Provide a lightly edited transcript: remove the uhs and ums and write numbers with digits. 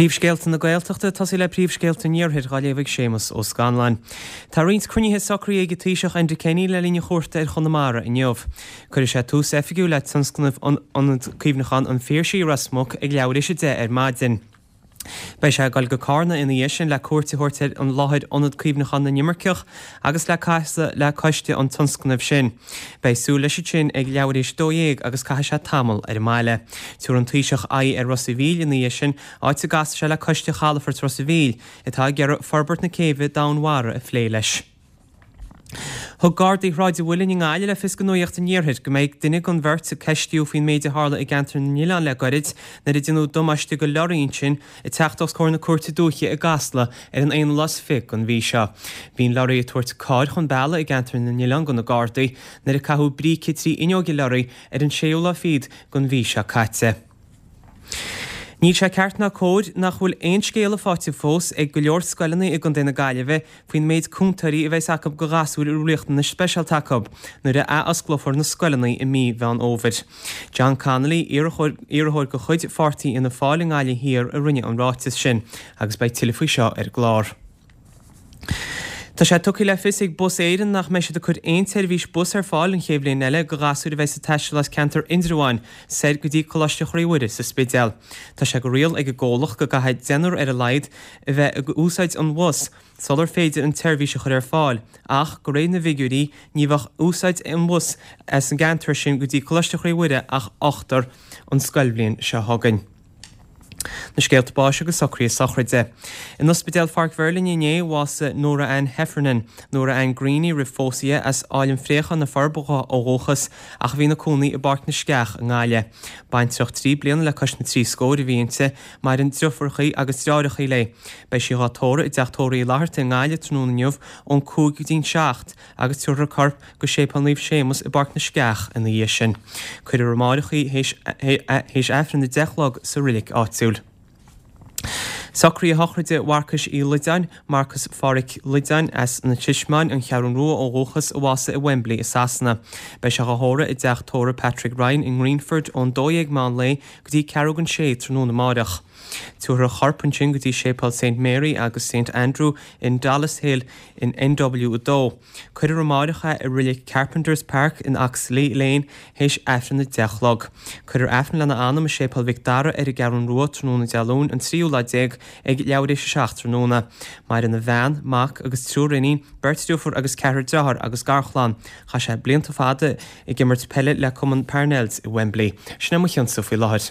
Príomhscéalta na Gaeltachta, ag tosaí le príomhscéalta an Iarthair, dhá léamh ag Séamus Ó Scanláin. Tá roinnt cruinnithe socraithe ag an Taoiseach Enda Kenny le linn a chuairte ar Chonamara inniu. Cuirfidh sé tús oifigiúil le tionscnamh Ionad Cuimhneacháin an Phiarsaigh i Ros Muc ag leathuair théis 10 ar maidin. Beidh sé ag dul go Carna ina dhiaidh sin le cuairt a thabhairt ar an láthair Ionad Cuimhneacháin na nImirceach agus le casadh le coiste an tionscnaimh sin. Beidh súil leis ansin ag leathuair théis 12 agus caithfidh sé tamall ar an mbaile. Tabharfaidh an Taoiseach aghaidh ar Ros a' Mhíl ina dhiaidh sin, áit a gcasfaidh sé le coiste chalafort Ros a' Mhíl, atá ag iarraidh forbairt na céibhe domhainmhara a phlé leis. Thug Gardaí Shráid an Mhuilinn i nGaillimh le fios do Nuacht an Iarthair go mbeidh duine den bheirt a ceistíodh faoin méid a tharla i gceantar na nOileán le goirid nuair a déanadh damáiste go leoraí ansin ag teacht os comhair na Cúirte Dúiche i gCasla ar an aonú lá is fiche den mhí seo. Bhí an leoraí ag tabhairt carr chun bealaigh i gceantar na nOileán do na Gardaí nuair a caitheadh bríce 3 fhuinneog an leoraí ar an séú lá fichead den mhí seo caite. Níl sé ceart ná cóir nach bhfuil aon scéala faighte fós ag go leor scoileanna i gContae na Gaillimhe faoin méid cúntóirí a bheas acu do ghasúir a bhfuil riachtanais speisialta acu nuair a athosclófar na scoileanna i mí Mheán Fhómhair. John Connolly, iarrthóir de chuid pháirtí Fhianna Fáil i nGaillimh Thiar a rinne an ráiteas sin agus beidh tuilleadh faoi seo ar an gclár. Tá sé tugtha le fios ag Bus Éireann nach mbeidh siad ag cur aon tseirbhís bus ar fáil an chéad bhliain eile do ghasúir a bheas ag taisteal as ceantar Indreabháin soir go dtí Coláiste Chroí Mhuire sa Spidéal. Tá sé de riail ag an gcomhlacht go gcaithfidh deichniúr ar a laghad a bheith ag úsáid an bhus sular féidir an tseirbhís a chur ar fáil ach de réir na bhfigiúirí ní bheadh úsáid an bhus as an gceantar sin go dtí Coláiste Chroí Mhuire ach ochtar an scoilbhliain seo chugainn. Na scéalta báis agus socruithe sochraide. In Ospidéal Pháirc Mheirlinne inné, bhásaigh Nora Ann Heffernan, Nora Ann Greaney roimh phósadh di, as Áill an Phréacháin, Na Forbacha ó dhúchas ach a bhí ina cónaí i bPáirc na Sceach i nGaillimh. Baintreach 3 bliana le cois na dtrí scóir a bhí inti, maireann driofúrachaí agus deartháireachaí léi. Beidh sí dhá tórramh i dTeach Tórraimh Uí Fhlatharta i nGaillimh tráthnóna inniu ón 5 go dtí'n 7 agus tabharfar a corp go Séipéal Naomh Séamus i bPáirc na Sceach ina dhiaidh sin. Cuirfear amáireach í théis Aifreann 10 a chlog sa roilic áitiúil. Socruithe sochraide Mharcais Uí Loideáin, Marcas Phádhraic Loideáin, as na Trismeáin, An Cheathrún Rua ó dhúchas, a bhásaigh i Wembley i Sasana. Beidh sé dhá thórramh i dteach tórraimh Patrick Ryan i nGreenford ón 12 meán lae go dtí ceathrú don sé tráthnóna amáireach. Tabharfar a chorp ansin go dtí Séipéal Saint Mary agus Saint Andrew in Dollis Hill in NW2. Cuirfear amáireach é i roilig Carpenter's Park in Oxley Lane théis Aifreann 10 a chlog. Cuirfear Aifreann lena anam i Séipéal Mhic Dara ar an gCeathrún Rua tráthnóna Dé Luain an tríú lá déag ag leathuair théis a 7 tráthnóna. Maireann a bhean, mac agus triúr iníon, beirt driofúr agus ceathrar dearthár agus garchlann. Chaith sé blianta fada ag imirt peile le cumann Parnells i Wembley. Sin é mo chionnsa faoi láthair.